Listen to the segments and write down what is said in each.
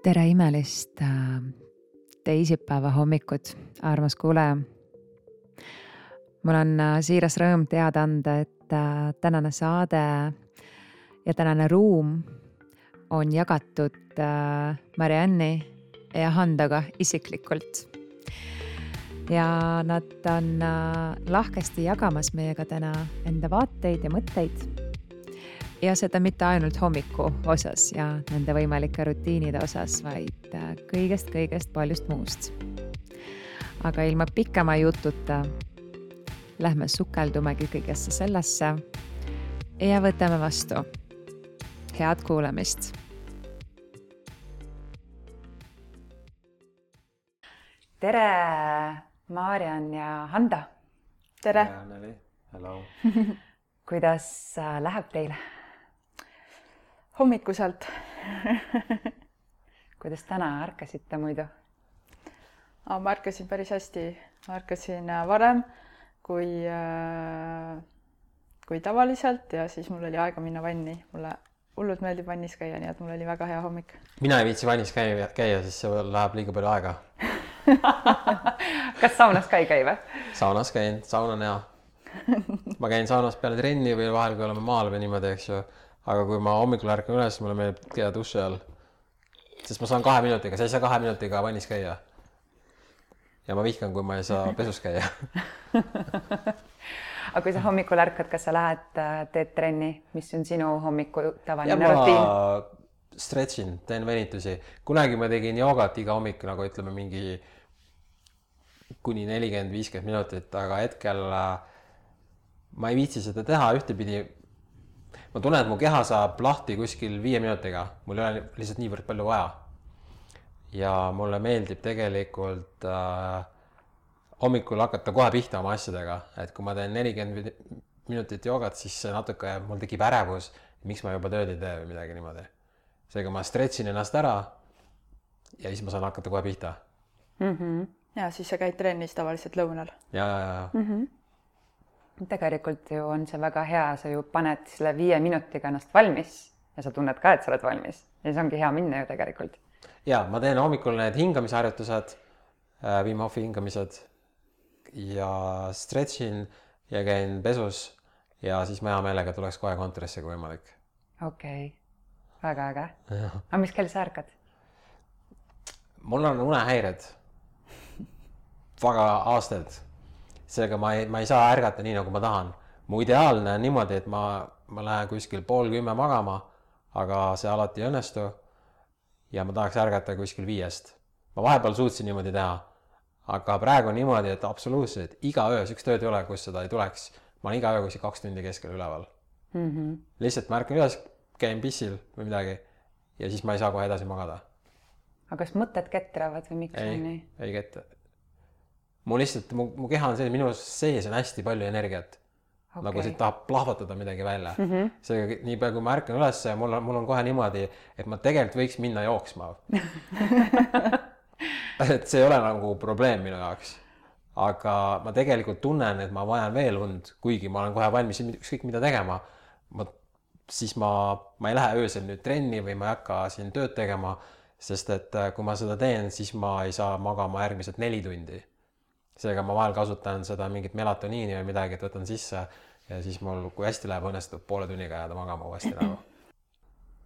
Tere imelist teisipäeva hommikut, armas kuulaja. Mul on siiras rõõm teada anda, et tänane saade ja tänane ruum on jagatud Marianni ja Handaga isiklikult. Ja nad on lahkesti jagamas meiega täna enda vaateid ja mõtteid. Ja seda mitte ainult hommiku osas ja nende võimalike rutiinide osas, vaid kõigest paljust muust. Aga ilma pikema jututa lähme sukeldumegi kõigesse sellesse ja võtame vastu. Head kuulamist! Tere, Marian ja Handa! Tere! Hello! Kuidas läheb teile? Hommikuselt. Kuidas täna ärkasite muidu? Ma ärkasin päris hästi. Ma ärkasin varem kui tavaliselt ja siis mul oli aega minna vanni. Mulle hullult meeldib vannis käia, nii et mul oli väga hea hommik. Mina ei viitsi vannis käia, siis see läheb liiga palju aega. Kas saunas ka ei käi või? Saunas käin, saun on hea. Ma käin saunas peale trenni või vahel, kui oleme maal või niimoodi, eks ju. Aga kui ma hommikul ärkan üles, mulle meeldib käia duši all. Sest ma saan 2 minutiga, sa ei saa 2 minutiga vannis käia. Ja ma vihkan, kui ma ei saa pesus käia. Aga kui sa hommikul ärkad, kas sa lähed, teed trenni? Mis on sinu hommiku tavaline rutiin? rutiin? Ma stretchin, teen venitusi. Kunagi ma tegin joogat iga hommik, nagu ütleme mingi kuni 40-50 minutit, aga hetkel ma ei viitsi seda teha ühtepidi. Ma tunnen, et mu keha saab lahti kuskil 5 minutiga. Mul ei ole lihtsalt niivõrd palju vaja. Ja mulle meeldib tegelikult hommikul hakata kohe pihta oma asjadega. Et kui ma teen 40 minutit joogat, siis natuke mul tekib ärevus, miks ma juba tööd ei tee või midagi niimoodi. Seega ma stretchin ennast ära ja siis ma saan hakata kohe pihta. Ja siis sa käid trennis tavaliselt lõunal. Ja. Tegelikult ju on see väga hea, sa ju paned selle 5 minutiga ennast valmis ja sa tunned ka, et sa oled valmis. Ja see ongi hea minna ju tegelikult. Ja, ma teen hommikul need hingamisharjutused, Wim Hofi hingamised ja stretchin ja käin pesus ja siis ma hea meelega tuleks kohe kontorisse kui võimalik. Okei, väga äge. Aga mis kell sa ärkad? Mul on unehäired väga aastaid. Seega ma ei saa ärgata nii, nagu ma tahan. Mu ideaalne on niimoodi, et ma lähen kuskil 9:30 magama, aga see alati ei õnnestu ja ma tahaks ärgata kuskil 5. Ma vahepeal suutsin niimoodi teha, aga praegu on niimoodi, et absoluutselt iga öö, üks tööd ei ole, kus seda ei tuleks. Ma olen iga öö kuskil 2 tundi keskel üleval. Lihtsalt ma ärkan üles, käin pissil või midagi ja siis ma ei saa kohe edasi magada. Aga kas mõtted ketravad või miks on nii? Ei ketra. Mu keha on selline, minu sees on hästi palju energiat. Okay. Nagu see tahab plahvatada midagi välja. Seega nii palju, kui ma ärkan üles, mul on kohe niimoodi, et ma tegelikult võiks minna jooksma. Et see ei ole nagu probleem minu jaoks. Aga ma tegelikult tunnen, et ma vajan veel und, kuigi ma olen kohe valmis ükskõik mida tegema. Siis ma ei lähe öösel nüüd trenni või ma ei hakka siin tööd tegema, sest et kui ma seda teen, siis ma ei saa magama järgmised 4 tundi. Seega ma vahel kasutan seda mingit melatoniini või midagi, et võtan sisse ja siis mul, kui hästi läheb, õnnestub 0,5 tunniga jääda magama uuesti nagu.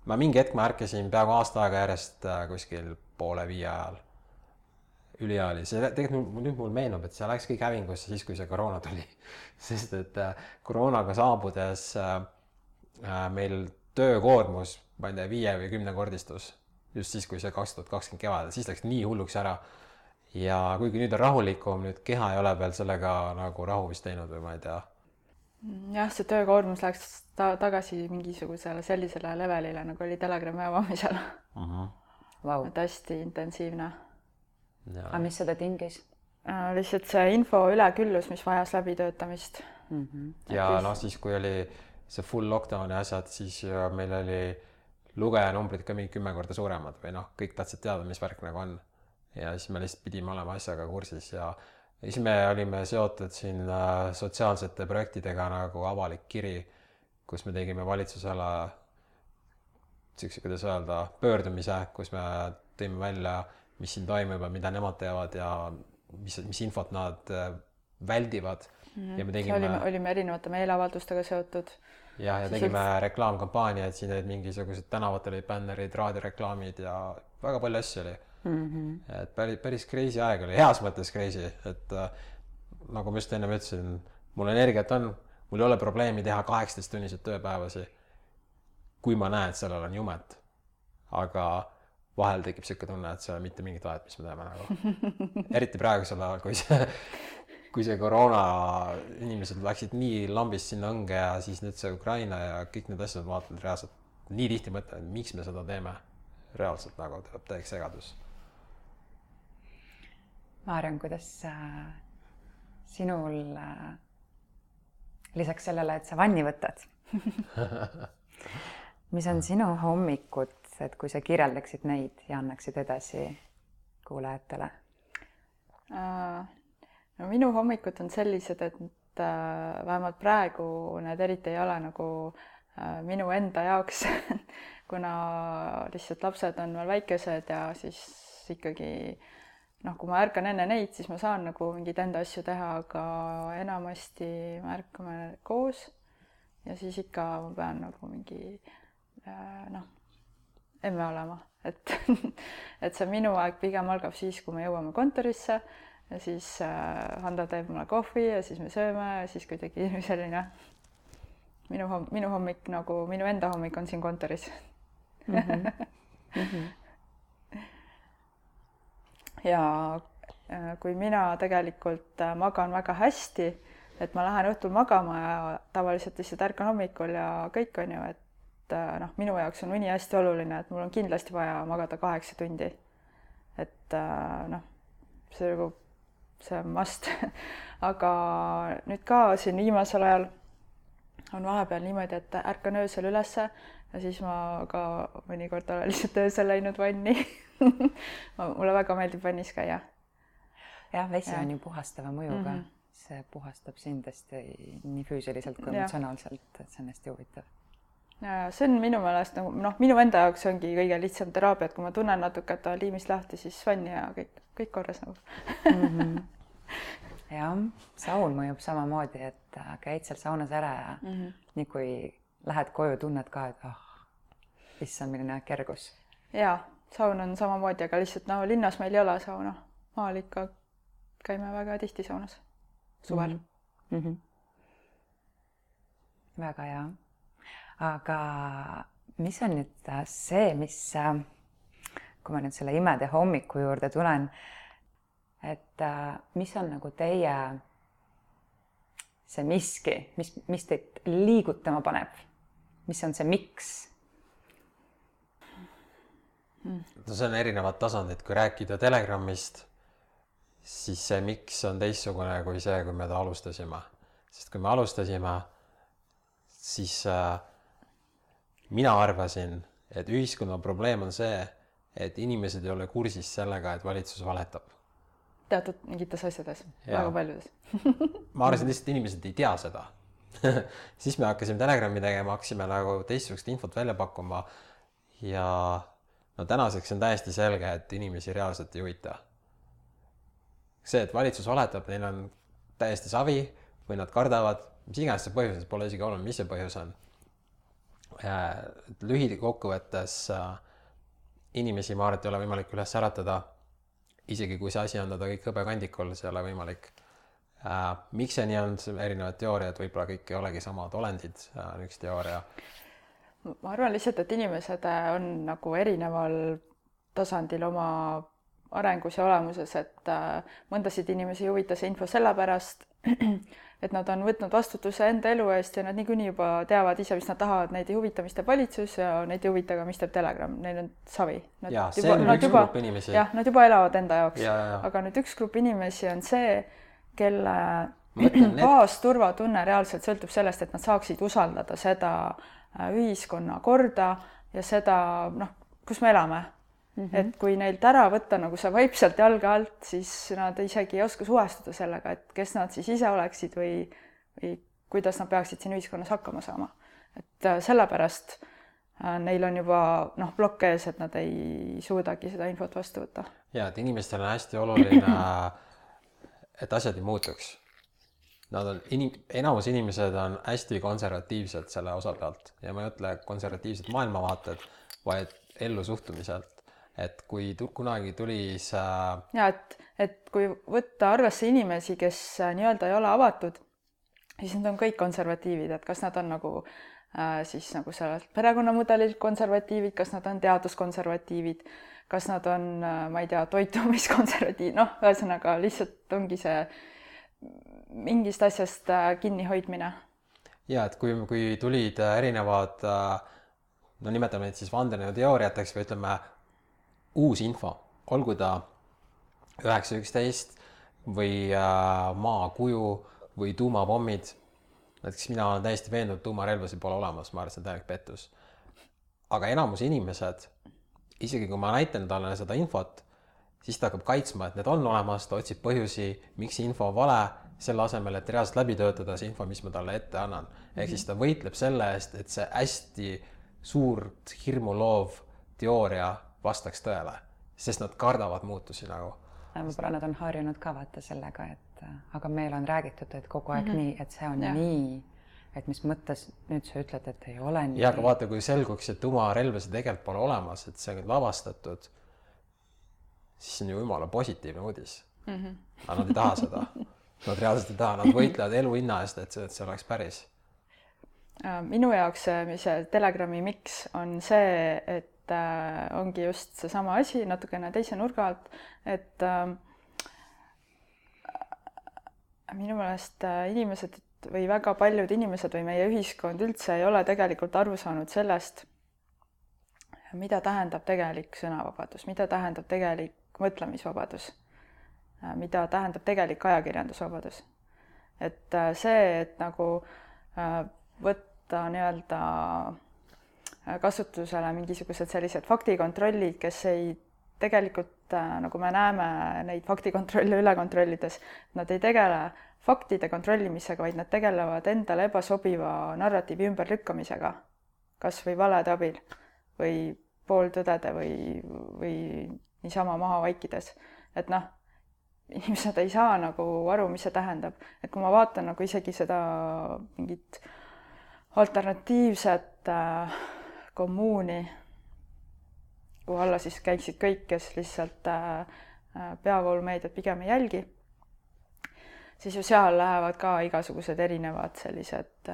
Ma mingi hetk ma ärkasin peaaegu aasta aega järjest kuskil 4:30 ajal. Ülihea oli. See tegelikult nüüd mul meenub, et see läks kõik hävingusse siis, kui see koroona tuli. Sest et koroonaga saabudes meil töökoormus, ma ei tea, 5 või 10 kordistus. Just siis, kui see 2020 kevadel, siis läks nii hulluks ära. Ja kuigi nüüd on rahulikum, nüüd keha ei ole veel sellega nagu rahu vist teinud või ma ei tea. Jah, see töökoormus läks tagasi mingisugusele sellisele levelile, nagu oli Telegrami avamisel. Wow. Et hästi intensiivne. Aga mis seda tingis? Lihtsalt see info üleküllus, mis vajas läbitöötamist. Ja siis, kui oli see full lockdown ja asjad, siis meil oli lugejanumbrid ka mingi 10 korda suuremad või kõik tahtsid teada, mis värk nagu on. Ja siis me lihtsalt pidime olema asjaga kursis ja siis me olime seotud siin sotsiaalsete projektidega nagu avalik kiri, kus me tegime valitsusele siukse, kuidas öelda, pöördumise, kus me tõime välja, mis siin toimub ja mida nemad teevad ja mis infot nad väldivad. Ja me tegime... olime erinevate meeleavaldustega seotud. Ja tegime reklaamkampaaniaid, siin olid mingisugused tänavatel olid bännerid, raadioreklaamid ja väga palju asju oli. Et päris crazy aeg oli, heas mõttes crazy, et nagu ma just enne ütlesin, mul energiat on, mul ei ole probleemi teha 18-tunnised tööpäevasi, kui ma näen, et sellel on jumet. Aga vahel tekib siuke tunne, et see ei ole mitte mingit vahet, mis me teeme nagu. Eriti praegusel ajal, kui see koroona inimesed läksid nii lambist sinna õnge ja siis nüüd see Ukraina ja kõik need asjad vaatavad reaalselt nii tihti mõtlen, miks me seda teeme. Reaalselt nagu tuleb täieks segadus. Maarjan, kuidas sinul lisaks sellele, et sa vanni võtad? Mis on sinu hommikud, et kui sa kirjeldaksid neid ja annaksid edasi kuulajatele? No minu hommikud on sellised, et vähemalt praegu need eriti ei ole nagu minu enda jaoks, kuna lihtsalt lapsed on veel väikesed ja siis ikkagi kui ma ärkan enne neid, siis ma saan nagu mingeid enda asju teha, aga enamasti me ärkame koos ja siis ikka ma pean nagu mingi emme olema, et see minu aeg pigem algab siis, kui me jõuame kontorisse ja siis Hando teeb mulle kohvi ja siis me sööme ja siis kuidagi selline minu hommik nagu minu enda hommik on siin kontoris. Ja kui mina tegelikult magan väga hästi, et ma lähen õhtul magama ja tavaliselt lihtsalt ärkan hommikul ja kõik on ju, et minu jaoks on uni hästi oluline, et mul on kindlasti vaja magada 8 tundi. Et see on must. Aga nüüd ka siin viimasel ajal on vahepeal niimoodi, et ärkan öösel ülesse ja siis ma ka mõnikord olen lihtsalt öösel läinud vanni. Mulle väga meeldib vannis käia. Jah, vesi on ju puhastava mõjuga. See puhastab sind hästi nii füüsiliselt kui emotsionaalselt, et see on hästi huvitav. Ja see on minu meelest, minu enda jaoks ongi kõige lihtsam teraapia, et kui ma tunnen natuke, et on liimist lahti, siis vanni ja kõik korras nagu. Jah, saun mõjub samamoodi, et käid seal saunas ära ja nii kui lähed koju, tunned ka, et issand, milline kergus. Jaa, saun on samamoodi, aga lihtsalt linnas meil ei ole sauna. Maal ikka käime väga tihti saunas suvel. Väga hea. Aga mis on nüüd see, kui ma nüüd selle imede hommiku juurde tulen, et mis on nagu teie see miski, mis teid liigutama paneb? Mis on see miks? See on erinevad tasandid. Kui rääkida Telegramist, siis see miks on teistsugune kui see, kui me alustasime. Sest kui me alustasime, siis mina arvasin, et ühiskonna probleem on see, et inimesed ei ole kursis sellega, et valitsus valetab. Teatud mingites asjades, väga paljudes. Ma arvasin lihtsalt, inimesed ei tea seda. Siis me hakkasime Telegrami tegema, hakkasime nagu teistsugust infot välja pakkuma ja tänaseks on täiesti selge, et inimesi reaalselt ei huvita. See, et valitsus valetab, neil on täiesti savi või nad kardavad, mis iganes see põhjus, pole isegi oluline, mis see põhjus on. Lühidi kokkuvõttes inimesi ma arvan, et ei ole võimalik üles äratada. Isegi kui see asi on kõik hõbekandikul, see ei ole võimalik. Miks see nii on, erinevad teooriad, võib-olla kõik ei olegi samad olendid, üks teooria. Ma arvan lihtsalt, et inimesed on nagu erineval tasandil oma arengus ja olemuses, et mõndasid inimesi ei huvita see info sellepärast, et nad on võtnud vastutuse enda elu eest ja nad niikuinii juba teavad ise, mis nad tahavad, neid ei huvita, mis teeb valitsus ja neid ei huvita ka, mis teeb Telegram, neil on savi. Ja, see on üks grupp inimesi. Jah, nad juba elavad enda jaoks, aga nüüd üks grupp inimesi on see, kelle baasturvatunne reaalselt sõltub sellest, et nad saaksid usaldada seda ühiskonna korda ja seda, kus me elame. Et kui neilt ära võtta nagu see vaipselt jalga alt, siis nad isegi ei oska suhestuda sellega, et kes nad siis ise oleksid või kuidas nad peaksid siin ühiskonnas hakkama saama. Et sellepärast neil on juba plokk ees, et nad ei suudagi seda infot vastu võtta. Ja, et inimestel on hästi oluline, et asjad ei muutuks. Enamus inimesed on hästi konservatiivsed selle osa pealt ja ma ei ütle konservatiivsed maailmavaated, vaid ellu suhtumiselt. Et kui kunagi tuli see... Ja, et kui võtta arvesse inimesi, kes nii-öelda ei ole avatud, siis nad on kõik konservatiivid, et kas nad on nagu siis nagu sellelt perekonnamudelil konservatiivid, kas nad on teaduskonservatiivid, kas nad on, ma ei tea, toitumiskonservatiivid, ühesõnaga lihtsalt ongi see mingist asjast kinnihoidmine. Ja, et kui tulid erinevad, nimetame neid siis vandenõuteooriateks või ütleme uus info, olgu ta 911 või maakuju või tuumapommid. Näiteks mina olen täiesti veendunud, tuumarelvasi pole olemas, ma arvan, see on täielik pettus. Aga enamus inimesed, isegi kui ma näitan talle seda infot, siis ta hakkab kaitsma, et need on olemas, ta otsib põhjusi, miks info on vale, selle asemel, et reaalselt läbi töötada see info, mis ma talle ette annan. Ehk siis ta võitleb selle eest, et see hästi suurt hirmuloov teooria vastaks tõele, sest nad kardavad muutusi nagu. Võib-olla nad on harjunud ka vaata sellega, aga meil on räägitud, et kogu aeg nii, et see on nii, et mis mõttes nüüd sa ütled, et ei ole nii. Ja, aga vaata, kui selguks, et tuumarelvasi tegelikult pole olemas, et see on lavastatud, siis on ju jumala positiivne uudis. Aga nad ei taha seda. Nad reaalselt ei taha, nad võitlevad elu hinna eest, et see oleks päris. Minu jaoks see Telegrami miks on see, et ongi just see sama asi natukene teise nurga alt, et minu meelest inimesed või väga paljud inimesed või meie ühiskond üldse ei ole tegelikult aru saanud sellest, mida tähendab tegelik sõnavabadus, mida tähendab tegelik mõtlemisvabadus, mida tähendab tegelik ajakirjandusvabadus. Et see, et nagu võtta nii-öelda kasutusele mingisugused sellised faktikontrollid, kes ei tegelikult, nagu me näeme neid faktikontrolle üle kontrollides, nad ei tegele faktide kontrollimisega, vaid nad tegelevad endale ebasobiva narratiivi ümberlükkamisega, kas või valede abil või pooltõdede või niisama maha vaikides. Et inimesed ei saa nagu aru, mis see tähendab. Et kui ma vaatan nagu isegi seda mingit alternatiivset kommuuni, kuhu alla siis käiksid kõik, kes lihtsalt peavoolumeediat pigem ei jälgi, siis ju seal lähevad ka igasugused erinevad sellised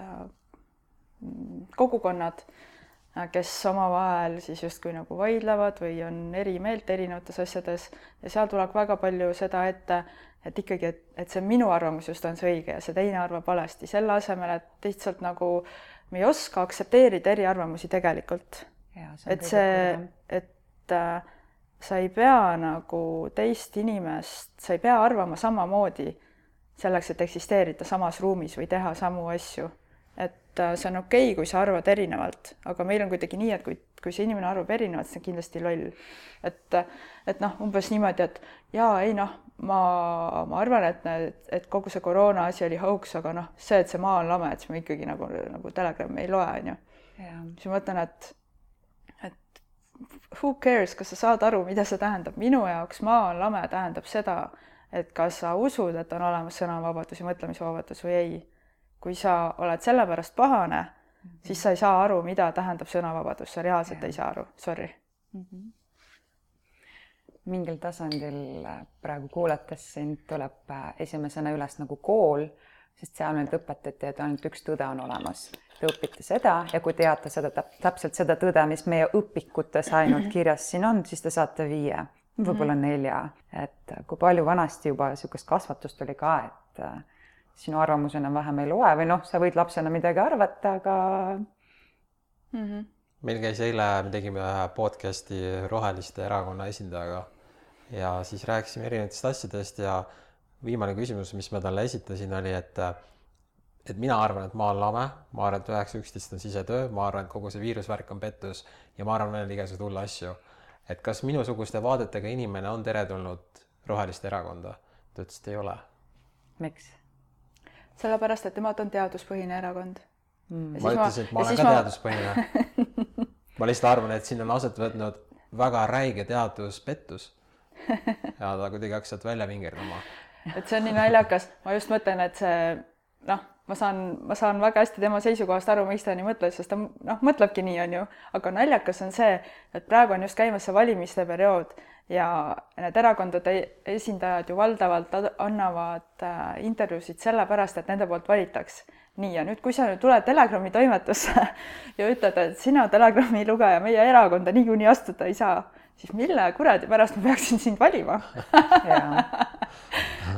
kogukonnad, kes omavahel siis justkui nagu vaidlevad või on eri meelt erinevates asjades ja seal tuleb väga palju seda ette, et ikkagi, et see minu arvamus just on see õige ja see teine arvab valesti, selle asemel, et lihtsalt nagu me ei oska aktsepteerida eriarvamusi tegelikult. Et sa ei pea nagu teist inimest, sa ei pea arvama samamoodi selleks, et eksisteerida samas ruumis või teha samu asju. Et see on okei, kui sa arvad erinevalt, aga meil on kuidagi nii, et kui see inimene arvab erinevalt, see on kindlasti loll. Et umbes niimoodi, et ma arvan, et kogu see koroona asi oli hoax, aga see, et see maa on lame, et siis me ikkagi nagu Telegrami ei loe, on ju. Siis ma mõtlen, et who cares, kas sa saad aru, mida see tähendab? Minu jaoks maa on lame tähendab seda, et kas sa usud, et on olemas sõnavabadus ja mõtlemisvabadus või ei. Kui sa oled selle pärast pahane, siis sa ei saa aru, mida tähendab sõnavabadus. Sa reaalselt ei saa aru. Sorry. Mingil tasandil praegu kuulates sind tuleb esimesena üles nagu kool, sest seal nüüd õpetati, et ainult üks tõde on olemas. Te õpite seda ja kui teate seda, täpselt seda tõde, mis meie õpikutes ainult kirjas siin on, siis te saate 5, võib-olla 4. Et kui palju vanasti juba niisugust kasvatust oli ka, et sinu arvamus enam vähem ei loe või sa võid lapsena midagi arvata, aga... Meil käis eile, me tegime podcasti Roheliste erakonna esindajaga ja siis rääkisime erinevatest asjadest ja viimane küsimus, mis ma talle esitasin, oli, et mina arvan, et maa on lame, ma arvan, et 911 on sisetöö, ma arvan, et kogu see viirusvärk on pettus ja ma arvan veel igasugused hulle asju. Et kas minusuguste vaadetega inimene on teretulnud Roheliste erakonda? Ta ütles, et ei ole. Miks? Sellepärast, et temad on teaduspõhine erakond. Ma ütlesin, et ma olen ka teaduspõhine. ma lihtsalt arvan, et siin on aset võtnud väga räige teaduspettus ja ta kuidagi hakkas sealt välja vingerdama. Et see on nii naljakas, ma just mõtlen, et see ma saan väga hästi tema seisukohast aru, miks ta nii mõtles, sest ta mõtlebki nii, on ju, aga naljakas on see, et praegu on just käimas see valimiste periood ja need erakondade esindajad ju valdavalt annavad intervjuusid sellepärast, et nende poolt valitaks. Nii, ja nüüd, kui sa nüüd tuled Telegrami toimetusse ja ütled, et sina Telegrami lugeja meie erakonda niikuinii astuda ei saa, siis mille kuradi pärast ma peaksin sind valima?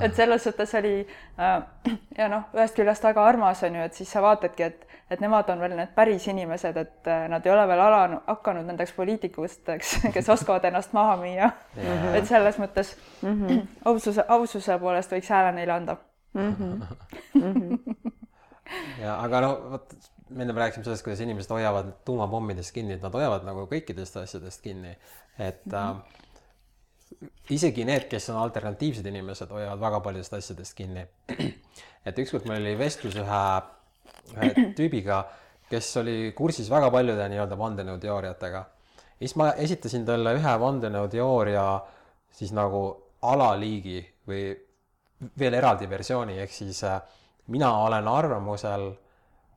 Et selles suhtes oli ja ühest küljest väga armas on ju, et siis sa vaatadki, et nemad on veel need päris inimesed, et nad ei ole veel hakanud nendeks poliitikusteks, kes oskavad ennast maha müüa. Et selles mõttes aususe poolest võiks hääle neile anda. Ja, aga võt, me enne rääkisime sellest, kuidas inimesed hoiavad tuumapommidest kinni, et nad hoiavad nagu kõikidest asjadest kinni. Et isegi need, kes on alternatiivsed inimesed, hoiavad väga paljudest asjadest kinni. Et ükskord meil oli vestlus ühe tüübiga, kes oli kursis väga paljude nii-öelda vandenõuteooriatega. Siis ma esitasin talle ühe vandenõuteooria siis nagu alaliigi või veel eraldi versiooni, ehk siis mina olen arvamusel,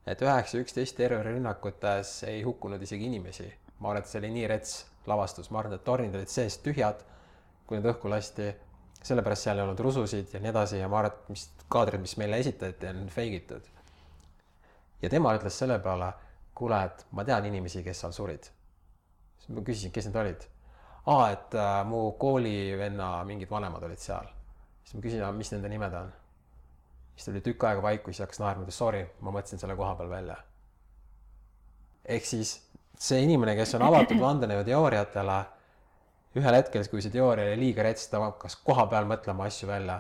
et 9.11 terrorirünnakutes ei hukkunud isegi inimesi. Ma arvan, et see oli nii rets lavastus. Ma arvan, et tornid olid seest tühjad, kui need õhku lasti. Sellepärast seal ei olnud rususid ja nii edasi. Ja ma arvan, et mis kaadrid, mis meile esitati, on feigitud. Ja tema ütles selle peale, kuule, et ma tean inimesi, kes seal surid. Siis ma küsisin, kes need olid. Et mu koolivenna mingid vanemad olid seal. Siis ma küsin, mis nende nimed on. Siis tuli tükk aega vaiku, siis hakkas naerma, sorry, ma mõtlesin selle koha peal välja. Ehk siis see inimene, kes on avatud vandenõuteooriatele, ühel hetkel, kui see teooria oli liiga rets, ta hakkas koha peal mõtlema asju välja.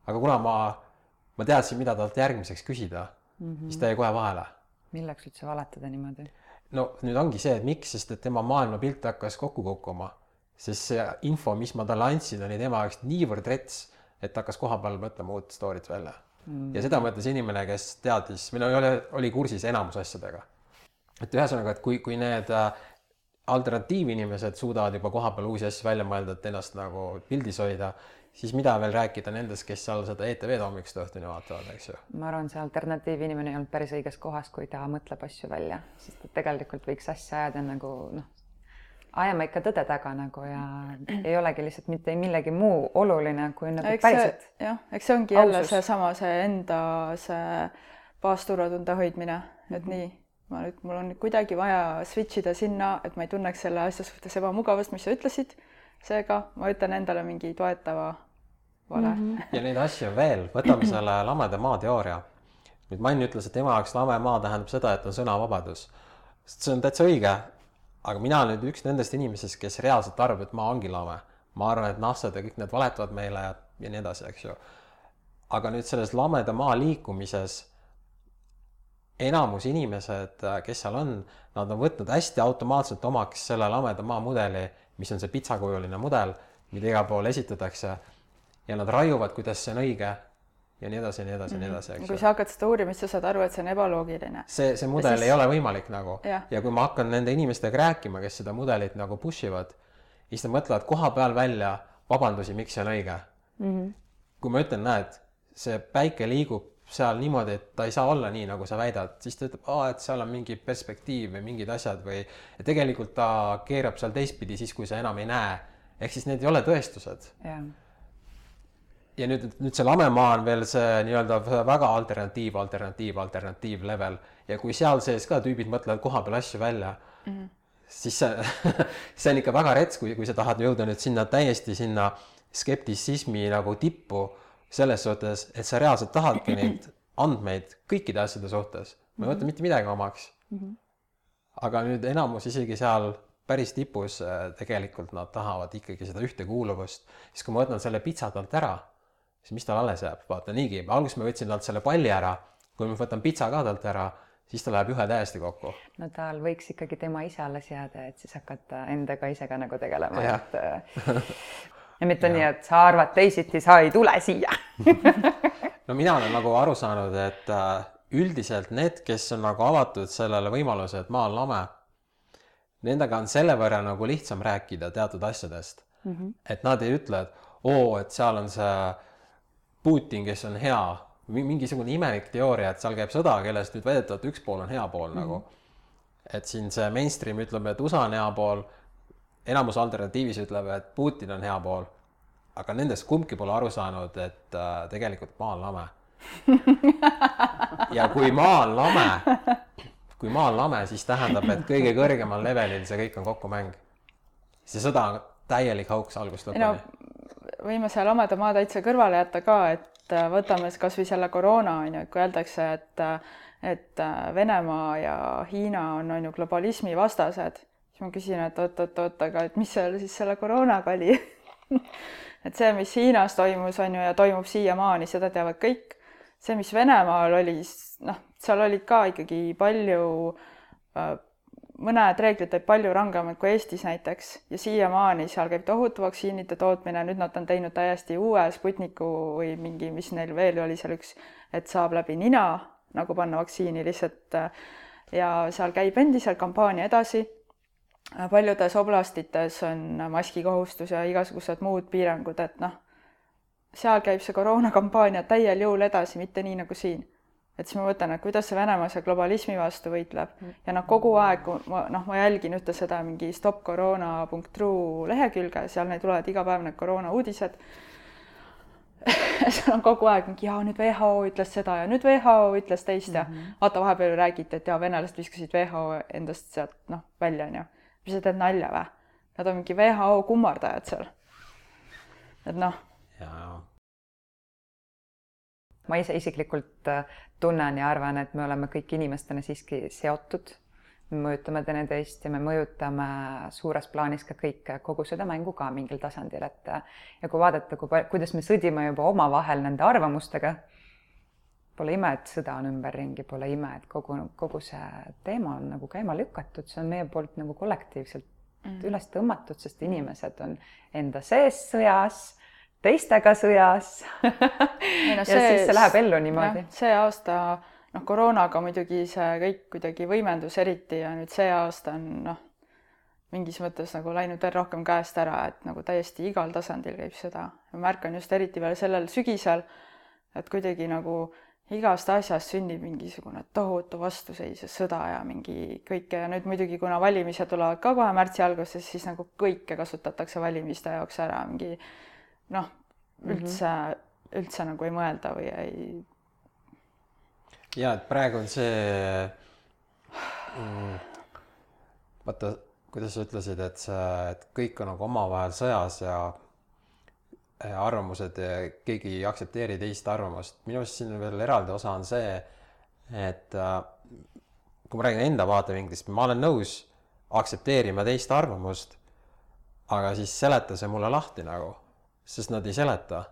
Aga kuna ma teadsin, mida talt järgmiseks küsida, siis ta jäi kohe vahele. Milleks üldse valetada niimoodi? No nüüd ongi see, et miks, sest et tema maailmapilt hakkas kokku kukkuma. Sest see info, mis ma talle andsin, oli tema jaoks niivõrd rets, et hakkas koha peal mõtlema uut stoorit välja. Ja seda mõtles inimene, kes teadis, oli kursis enamus asjadega. Et ühesõnaga, et kui need alternatiivinimesed suudavad juba koha peal uusi asju välja mõelda, et ennast nagu pildis hoida, siis mida veel rääkida nendest, kes seal seda ETV-d hommikust õhtuni vaatavad, eks ju? Ma arvan, see alternatiivinimene ei olnud päris õiges kohas, kui ta mõtleb asju välja, sest et tegelikult võiks asja ajada nagu ajama ikka tõde taga nagu ja ei olegi lihtsalt mitte millegi muu oluline kui nagu päriselt. Eks see ongi jälle seesama see enda see baasturvatunde hoidmine, et nii, mul on kuidagi vaja switchida sinna, et ma ei tunneks selle asja suhtes ebamugavust, mis sa ütlesid, seega ma ütlen endale mingi toetava vale. Ja neid asju veel, võtame selle lameda maa teooria. Nüüd Mann ütles, et tema jaoks lame maa tähendab seda, et on sõnavabadus. See on täitsa õige. Aga mina olen nüüd üks nendest inimesest, kes reaalselt arvab, et maa ongi lame. Ma arvan, et nassad ja kõik need valetavad meile ja nii edasi, eks ju. Aga nüüd selles lameda maa liikumises enamus inimesed, kes seal on, nad on võtnud hästi automaatselt omaks selle lameda maa mudeli, mis on see pitsakujuline mudel, mida igal pool esitatakse ja nad raiuvad, kuidas see on õige ja nii edasi, nii edasi, nii edasi. Kui sa hakkad seda uurimist, sa saad aru, et see on ebaloogiline. See mudel ei ole võimalik nagu. Ja kui ma hakkan nende inimestega rääkima, kes seda mudelit nagu pushivad, siis nad mõtlevad koha peal välja vabandusi, miks see on õige. Kui ma ütlen, näed, see päike liigub seal niimoodi, et ta ei saa olla nii, nagu sa väidad, siis ta ütleb, et seal on mingi perspektiiv või mingid asjad või tegelikult ta keerab seal teistpidi siis, kui sa enam ei näe. Ehk siis need ei ole tõestused. Ja nüüd see lamemaa on veel see nii-öelda väga alternatiiv level. Ja kui seal sees ka tüübid mõtlevad koha peal asju välja, siis see on ikka väga rets, kui sa tahad jõuda nüüd sinna täiesti sinna skeptisismi nagu tippu selles suhtes, et sa reaalselt tahadki neid andmeid kõikide asjade suhtes. Ma ei võta mitte midagi omaks. Aga nüüd enamus isegi seal päris tipus tegelikult nad tahavad ikkagi seda ühte kuuluvust. Siis kui ma võtan selle pitsa talt ära, siis mis tal alles jääb? Vaata niigi, alguses ma võtsin talt selle palli ära, kui ma võtan pitsa ka talt ära, siis ta läheb ühe täiesti kokku. No tal võiks ikkagi tema ise alles jääda, et siis hakata endaga ise ka nagu tegelema. Ja mitte nii, et sa arvad teisiti, sa ei tule siia. No mina olen nagu aru saanud, et üldiselt need, kes on nagu avatud sellele võimaluse, et maa on lame, nendega on selle võrra nagu lihtsam rääkida teatud asjadest. Et nad ei ütle, et et seal on see Putin, kes on hea, mingisugune imelik teooria, et seal käib sõda, kellest nüüd väidetavalt üks pool on hea pool nagu. Et siin see mainstream ütleb, et USA on hea pool, enamus alternatiivis ütleb, et Putin on hea pool, aga nendest kumbki pole aru saanud, et tegelikult maa on lame. Ja kui maa on lame, siis tähendab, et kõige kõrgemal levelil see kõik on kokkumäng. See sõda on täielik hauks algust lõpuni. Võime seal lameda maa täitsa kõrvale jätta ka, et võtame kas või selle koroona, kui öeldakse, et Venemaa ja Hiina on ju globalismi vastased, siis ma küsin, et oot, aga et mis seal siis selle koroonaga oli? Et see, mis Hiinas toimus, on ju, ja toimub siiamaani, seda teavad kõik. See, mis Venemaal oli, seal olid ka ikkagi palju, mõned reeglid olid palju rangemad kui Eestis näiteks ja siiamaani seal käib tohutu vaktsiinide tootmine, nüüd nad on teinud täiesti uue Sputniku või mingi, mis neil veel oli seal üks, et saab läbi nina nagu panna vaktsiini lihtsalt ja seal käib endiselt kampaania edasi. Paljudes oblastites on maskikohustus ja igasugused muud piirangud, et seal käib see koroonakampaania täiel jõul edasi, mitte nii nagu siin. Et siis ma mõtlen, et kuidas see Venemaa see globalismi vastu võitleb ja kogu aeg, ma jälgin ühte seda mingi stopcorona.ru lehekülge, seal neid tulevad iga päev need koroona uudised. Seal on kogu aeg mingi, nüüd WHO ütles seda ja nüüd WHO ütles teist ja vaata vahepeal räägiti, et venelased viskasid WHO endast sealt välja, on ju. Mis sa teed nalja või? Nad on mingi WHO kummardajad seal. Et Ma ise isiklikult tunnen ja arvan, et me oleme kõik inimestena siiski seotud. Me mõjutame teineteist ja me mõjutame suures plaanis ka kõik, kogu seda mängu ka mingil tasandil. Ja kui vaadata, kuidas me sõdime juba oma vahel nende arvamustega, pole ime, et sõda on ümberringi, pole ime, et kogu see teema on nagu käima lükatud. See on meie poolt nagu kollektiivselt üles tõmmatud, sest inimesed on enda sees sõjas, teistega sõjas ja siis see läheb ellu niimoodi. See aasta koroonaga muidugi see kõik kuidagi võimendus eriti ja nüüd see aasta on mingis mõttes nagu läinud veel rohkem käest ära, et nagu täiesti igal tasandil käib seda. Ma märkan just eriti veel sellel sügisel, et kuidagi nagu igast asjast sünnib mingisugune tohutu vastuseis ja sõda ja mingi kõike ja nüüd muidugi, kuna valimised tulevad ka kohe märtsi alguses, siis nagu kõike kasutatakse valimiste jaoks ära, mingi üldse nagu ei mõelda või ei. Ja, et praegu on see, vaata, kuidas sa ütlesid, et kõik on nagu omavahel sõjas ja arvamused, keegi ei aktsepteeri teist arvamust. Minu arust siin veel eraldi osa on see, et kui ma räägin enda vaatevinklist, ma olen nõus aktsepteerima teist arvamust, aga siis seleta see mulle lahti nagu, sest nad ei seleta.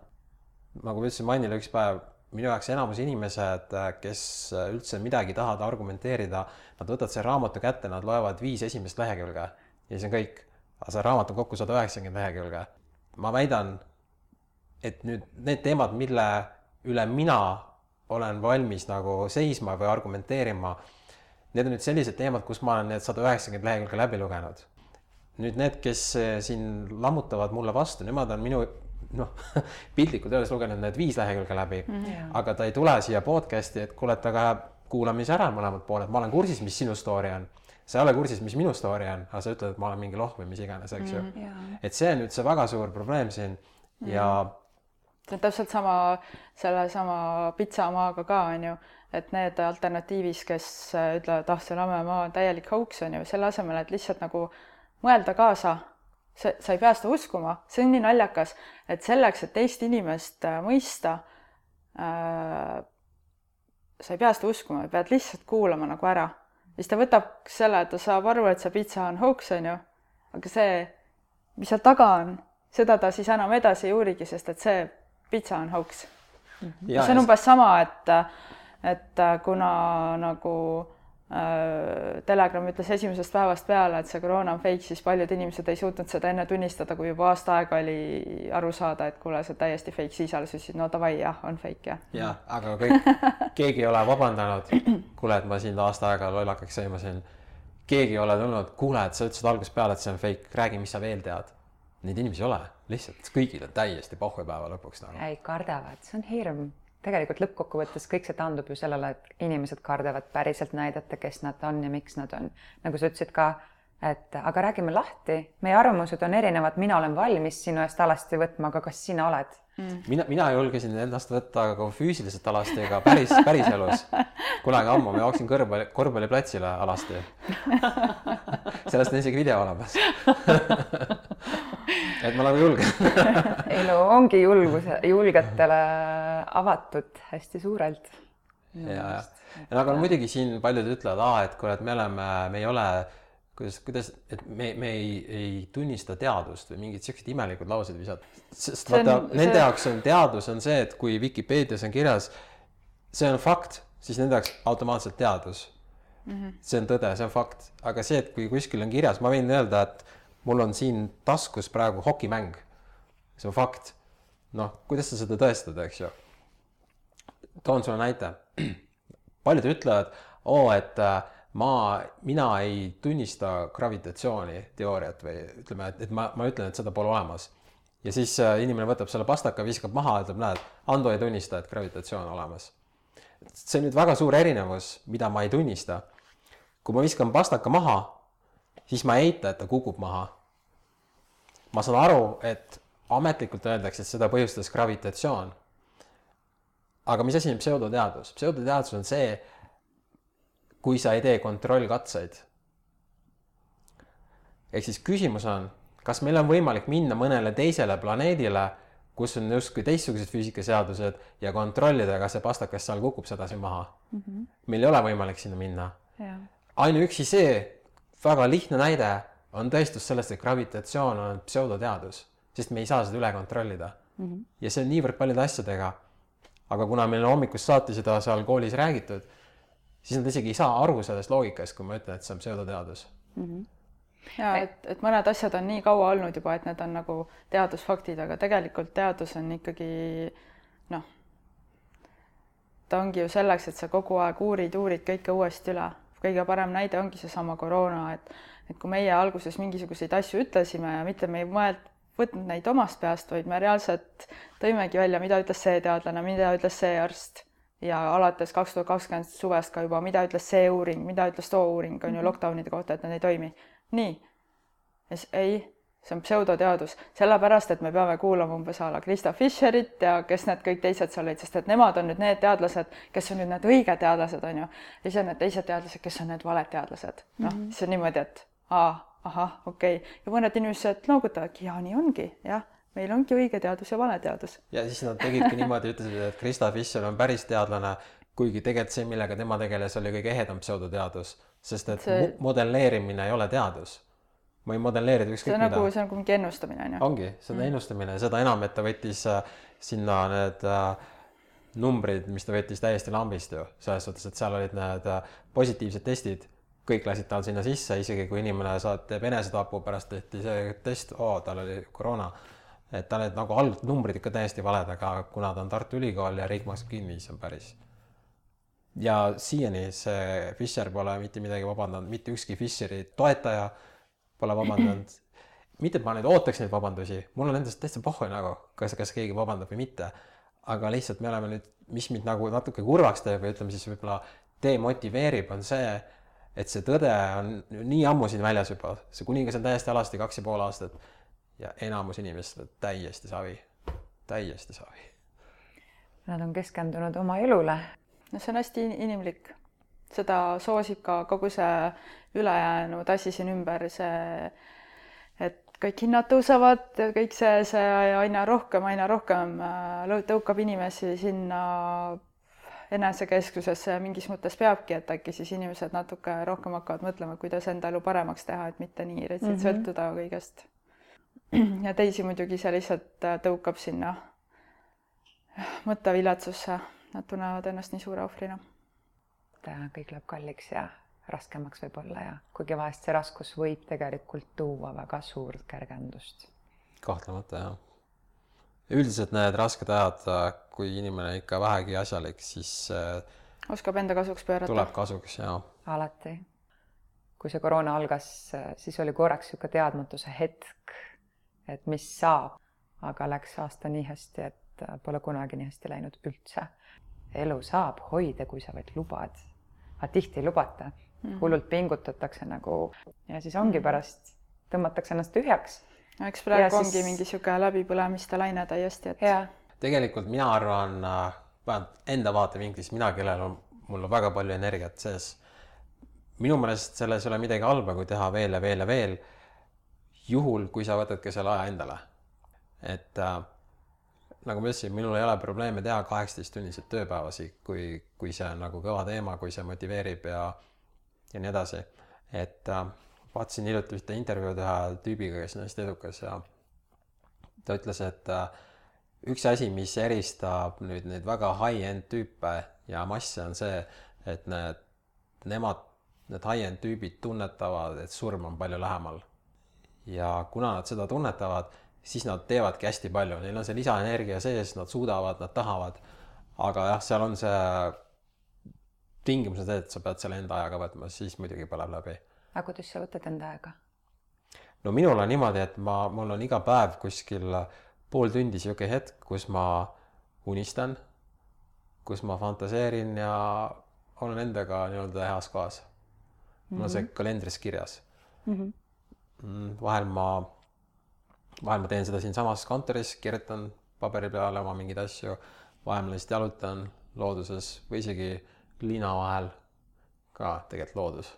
Nagu ma ütlesin Mannile üks päev, minu jaoks enamus inimesed, kes üldse midagi tahavad argumenteerida, nad võtavad see raamatu kätte, nad loevad 5 esimest lehekülge ja see on kõik. Aga see raamat on kokku 190 lehekülge. Ma väidan, et nüüd need teemad, mille üle mina olen valmis nagu seisma või argumenteerima, need on nüüd sellised teemad, kus ma olen need 190 lehekülge läbi lugenud. Nüüd need, kes siin lammutavad mulle vastu, nemad on minu piltlikult öeldes lugenud need 5 lehekülge läbi, aga ta ei tule siia podcasti, et kuule, aga kuulamise ära mõlemad pooled. Ma olen kursis, mis sinu story on. Sa ei ole kursis, mis minu story on, aga sa ütled, et ma olen mingi loh või mis iganes, eks ju. Et see on nüüd see väga suur probleem siin ja see on täpselt sama pitsamaaga ka, on ju, et need alternatiivis, kes ütlevad, see lammemaa on täielik hauks, on ju, selle asemel, et lihtsalt nagu mõelda kaasa, sa ei pea seda uskuma, see on nii naljakas, et selleks, et teist inimest mõista, sa ei pea seda uskuma, pead lihtsalt kuulama nagu ära. Siis ta võtab selle, et ta saab aru, et see pitsa on hauks, on ju, aga see, mis seal taga on, seda ta siis enam edasi ei uurigi, sest et see pitsa on hauks. See on umbes sama, et kuna nagu Telegram ütles esimesest päevast peale, et see koroona on fake, siis paljud inimesed ei suutnud seda enne tunnistada, kui juba aasta aega oli aru saada, et kuule, see täiesti fake, siis alles ütlesid, no davai, jah, on fake, jah. Jah, aga keegi ei ole vabandanud, kuule, et ma siin aasta aega lollakaks sõimasin. keegi ei ole tulnud, kuule, et sa ütlesid algusest peale, et see on fake, räägi, mis sa veel tead. Neid inimesi ei ole, lihtsalt kõigil on täiesti pohhupäeva lõpuks nagu. Ei, kardavad, see on hirm. Tegelikult lõppkokkuvõttes kõik see taandub ju sellele, et inimesed kardavad päriselt näidata, kes nad on ja miks nad on. Nagu sa ütlesid ka, et aga räägime lahti, meie arvamused on erinevad, mina olen valmis sinu eest alasti võtma, aga kas sina oled? Mina julgesin endast võtta ka füüsiliselt alasti, aga päris elus. Kunagi ammu ma jooksin korvpalliplatsile alasti. Sellest on isegi video olemas. Et ma nagu julgen. Elu ongi julgetele avatud hästi suurelt. Ja, aga muidugi siin paljud ütlevad, et kuule, et me ei ole, kuidas, et me ei tunnista teadust või mingid sellised imelikud laused visad. Sest vaata, nende jaoks on teadus on see, et kui Wikipedias on kirjas, see on fakt, siis nende jaoks automaatselt teadus. See on tõde, see on fakt. Aga see, et kui kuskil on kirjas, ma võin öelda, et mul on siin taskus praegu hokimäng. See on fakt. Noh, kuidas sa seda tõestad, eks ju? Toon sulle näite. Paljud ütlevad, et mina ei tunnista gravitatsiooni teooriat või ütleme, et ma ütlen, et seda pole olemas. Ja siis inimene võtab selle pastaka, viskab maha, ütleb, näed, Ando ei tunnista, et gravitatsioon on olemas. See on nüüd väga suur erinevus, mida ma ei tunnista. Kui ma viskan pastaka maha, siis ma ei eita, et ta kukub maha. Ma saan aru, et ametlikult öeldakse, et seda põhjustas gravitatsioon. Aga mis asi on pseudoteadus? Pseudoteadus on see, kui sa ei tee kontrollkatseid. Ehk siis küsimus on, kas meil on võimalik minna mõnele teisele planeedile, kus on justkui teistsugused füüsikaseadused ja kontrollida, kas see pastakas seal kukub sedasi maha. Meil ei ole võimalik sinna minna. Ainuüksi see väga lihtne näide on tõestus sellest, et gravitatsioon on pseudoteadus, sest me ei saa seda üle kontrollida. Ja see on niivõrd paljude asjadega. Aga kuna meil on hommikust saati seda seal koolis räägitud, siis nad isegi ei saa aru sellest loogikast, kui ma ütlen, et see on pseudoteadus. Ja, et mõned asjad on nii kaua olnud juba, et need on nagu teadusfaktid, aga tegelikult teadus on ikkagi, ta ongi ju selleks, et sa kogu aeg uurid kõike uuesti üle. Kõige parem näide ongi see sama koroona, et kui meie alguses mingisuguseid asju ütlesime ja mitte me ei võtnud neid omast peast, vaid me reaalselt tõimegi välja, mida ütles see teadlane, mida ütles see arst ja alates 2020 suvest ka juba, mida ütles see uuring, mida ütles too uuring, on ju lockdownide kohta, et nad ei toimi. Nii. Ei, see on pseudoteadus. Sellepärast, et me peame kuulama umbes ala Krista Fischerit ja kes need kõik teised seal olid, sest et nemad on nüüd need teadlased, kes on nüüd need õiged teadlased, on ju. Ja siis on need teised teadlased, kes on need valed teadlased. Siis on niimoodi, et okei. Ja mõned inimesed noogutavadki, ja nii ongi, jah. Meil ongi õige teadus ja vale teadus. Ja siis nad tegidki niimoodi, ütlesid, et Krista Fischer on päris teadlane, kuigi tegelikult see, millega tema tegeles, oli kõige ehedam pseudoteadus, sest et modelleerimine ei ole teadus. Ma ei modelleerida ükskõik mida. See on nagu mingi ennustamine, on ju? Ongi, see on ennustamine. Seda enam, et ta võttis sinna need numbrid, mis ta võttis täiesti lambist ju. Selles suhtes, et seal olid need positiivsed testid. Kõik lasid tal sinna sisse, isegi kui inimene teeb enesetapu pärast tehti see test, tal oli koroona. Et ta need nagu numbrid ikka täiesti valed, aga kuna ta on Tartu Ülikool ja riik maksab kinni, siis on päris. Ja siiani see Fischer pole mitte midagi vabandanud, mitte ükski Fischeri toetaja pole vabandanud. Mitte, et ma nüüd ootaks neid vabandusi, mul on endast täitsa pohhu nagu, kas keegi vabandab või mitte. Aga lihtsalt me oleme nüüd, mis mind nagu natuke kurvaks teeb või ütleme siis võib-olla demotiveerib, on see, et see tõde on nii ammu siin väljas juba. See kuningas on täiesti alasti 2,5 aastat ja enamus inimesed täiesti savi. Täiesti savi. Nad on keskendunud oma elule. No see on hästi inimlik. Seda soosib ka kogu see ülejäänud asi siin ümber, see, et kõik hinnad tõusevad, kõik see aina rohkem tõukab inimesi sinna enesekeskusesse ja mingis mõttes peabki, et äkki siis inimesed natuke rohkem hakkavad mõtlema, kuidas enda elu paremaks teha, et mitte nii sõltuda kõigest. Ja teisi muidugi see lihtsalt tõukab sinna mõtteviletsusse, nad tunnevad ennast nii suure ohvrina. Kõik läheb kalliks ja raskemaks võib olla ja kuigi vahest see raskus võib tegelikult tuua väga suurt kergendust. Kahtlemata, jah. Üldiselt need rasked ajad, kui inimene ikka vähegi asjalik, siis oskab enda kasuks pöörata. Tuleb kasuks, jah. Alati. kui see koroona algas, siis oli korraks niisugune teadmatuse hetk, et mis saab, aga läks aasta nii hästi, et pole kunagi nii hästi läinud üldse. Elu saab hoida, kui sa vaid lubad, aga tihti ei lubata. Hullult pingutatakse nagu ja siis ongi pärast, tõmmatakse ennast tühjaks. Eks praegu ongi mingi niisugune läbipõlemiste laine täiesti, et... Ja. Tegelikult mina arvan, enda vaatevinklist, mul on väga palju energiat sees. Minu meelest selles ei ole midagi halba, kui teha veel ja veel ja veel, juhul, kui sa võtadki selle aja endale. Et nagu ma ütlesin, minul ei ole probleeme teha 18-tunnised tööpäevasi, kui see on nagu kõva teema, kui see motiveerib ja nii edasi. Et vaatasin hiljuti ühte intervjuud ühe tüübiga, kes on hästi edukas ja ta ütles, et üks asi, mis eristab nüüd neid väga high-end tüüpe ja masse on see, et need high-end tüübid tunnetavad, et surm on palju lähemal. Ja kuna nad seda tunnetavad, siis nad teevadki hästi palju. Neil on see lisaenergia sees, nad suudavad, nad tahavad. Aga jah, seal on see tingimus, et sa pead selle enda ajaga võtma, siis muidugi põleb läbi. Aga kuidas sa võtad enda aega? No minul on niimoodi, et mul on iga päev kuskil pool tundi siuke hetk, kus ma unistan, kus ma fantaseerin ja olen endaga nii-öelda heas kohas. Mul on see kalendris kirjas. Vahel ma teen seda siin samas kontoris, kirjutan paberi peale oma mingeid asju, vahel ma lihtsalt jalutan looduses või isegi liina vahel ka tegelikult loodus.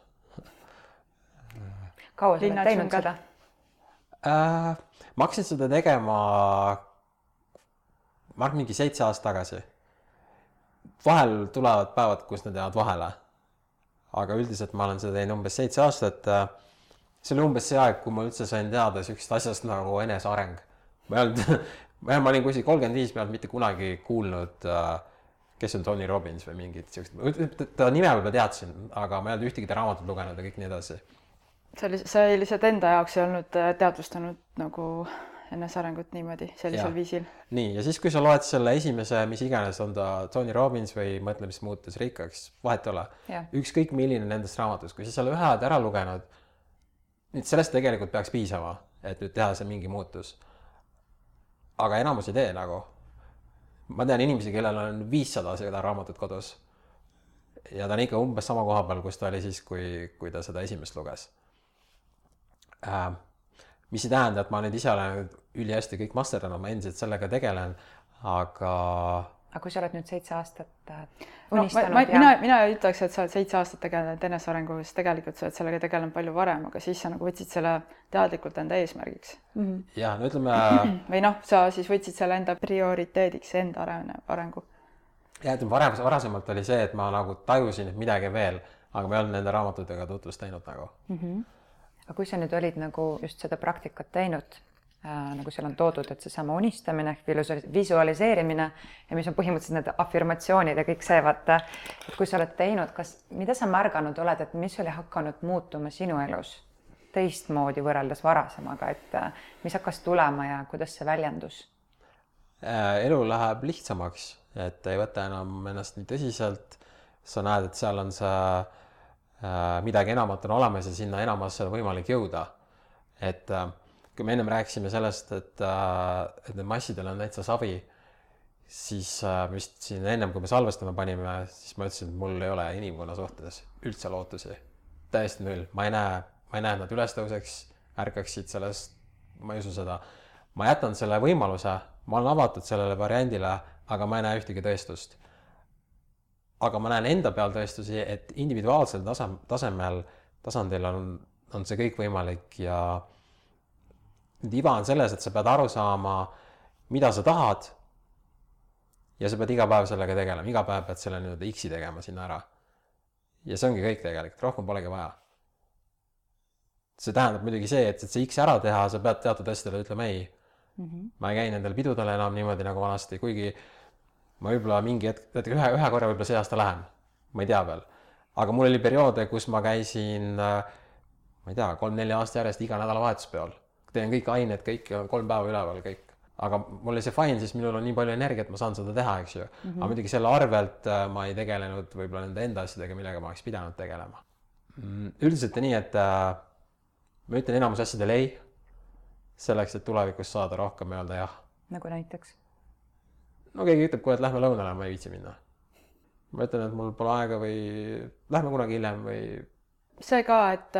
Kaua sa oled teinud seda? Ma hakkasin seda tegema ma arvan mingi 7 aastat tagasi. Vahel tulevad päevad, kus nad jäävad vahele. Aga üldiselt ma olen seda teinud umbes 7 aastat. See oli umbes see aeg, kui ma üldse sain teada sükst asjast nagu eneseareng. Ma olin kuskil 35, ma ei olnud mitte kunagi kuulnud, kes on Tony Robbins või mingid sükst. Ta nime võib-olla teadsin, aga ma ei olnud ühtegi ta raamatut lugenud ja kõik nii edasi. Sa lihtsalt enda jaoks ei olnud teadvustanud nagu enesearengut niimoodi, sellisel viisil. Nii, ja siis kui sa loed selle esimese, mis iganes on ta Tony Robbins või mõtle, mis muutus rikkaks, vahet ole. Ükskõik milline nendest raamatust, kui sa selle ühe ära lugenud, nüüd sellest tegelikult peaks piisama, et nüüd teha see mingi muutus. Aga enamus ei tee nagu. Ma tean inimesi, kellel on 500 seda raamatut kodus. Ja ta on ikka umbes sama koha peal, kus ta oli siis, kui ta seda esimest luges. Mis ei tähenda, et ma nüüd ise olen üli hästi kõik masterdanud, ma endiselt sellega tegelen, aga kui sa oled nüüd 7 aastat unistanud mina ei ütleks, et sa oled 7 aastat tegelenud enesearengu, sest tegelikult sa oled sellega tegelenud palju varem, aga siis sa nagu võtsid selle teadlikult enda eesmärgiks. Ja, no ütleme... Või sa siis võtsid selle enda prioriteediks enda arengu. Ja, ütleme, varasemalt oli see, et ma nagu tajusin, et midagi veel, aga ma ei olnud nende raamatutega tutvust teinud nagu. Aga kui sa nüüd olid nagu just seda praktikat teinud, nagu seal on toodud, et see sama unistamine, visualiseerimine ja mis on põhimõtteliselt need afirmatsioonid ja kõik see, vaata, et kui sa oled teinud, mida sa märganud oled, et mis oli hakanud muutuma sinu elus teistmoodi võrreldes varasemaga, et mis hakkas tulema ja kuidas see väljendus? Elu läheb lihtsamaks, et ei võta enam ennast nii tõsiselt. Sa näed, et seal on see midagi enamat on olemas ja sinna enamasse on võimalik jõuda. Et kui me ennem rääkisime sellest, et need massidel on täitsa savi, siis vist siin ennem, kui me salvestama panime, siis ma ütlesin, et mul ei ole inimkonna suhtes üldse lootusi. Täiesti null. Ma ei näe, et nad üles tõuseks, ärkaksid sellest, ma ei usu seda. Ma jätan selle võimaluse, ma olen avatud sellele variandile, aga ma ei näe ühtegi tõestust. Aga ma näen enda peal tõestusi, et individuaalsel tasandil on see kõik võimalik ja iva on selles, et sa pead aru saama, mida sa tahad ja sa pead iga päev sellega tegelema, iga päev pead selle nüüd X-i tegema sinna ära. Ja see ongi kõik tegelikult, rohkem polegi vaja. See tähendab muidugi see, et see X ära teha, sa pead teatud asjadele ütlema ei. Ma ei käi nendel pidudele enam niimoodi nagu vanasti, kuigi ma võib-olla mingi hetk, ühe korra võib-olla see aasta lähen, ma ei tea veel. Aga mul oli perioode, kus ma käisin, ma ei tea, 3-4 aasta järjest iga nädala vahetuspeol. Teen kõik ained, kõik on 3 päeva üleval kõik. Aga mul oli see fine, siis minul on nii palju energiat, ma saan seda teha, eks ju. Aga muidugi selle arvelt ma ei tegelenud võib-olla nende enda asjadega, millega ma oleks pidanud tegelema. Üldiselt on nii, et ma ütlen enamus asjadele ei, selleks, et tulevikus saada rohkem öelda jah. Nagu näiteks? No keegi ütleb kohe, et lähme lõunale, ma ei viitsi minna. Ma ütlen, et mul pole aega või lähme kunagi hiljem või... See ka, et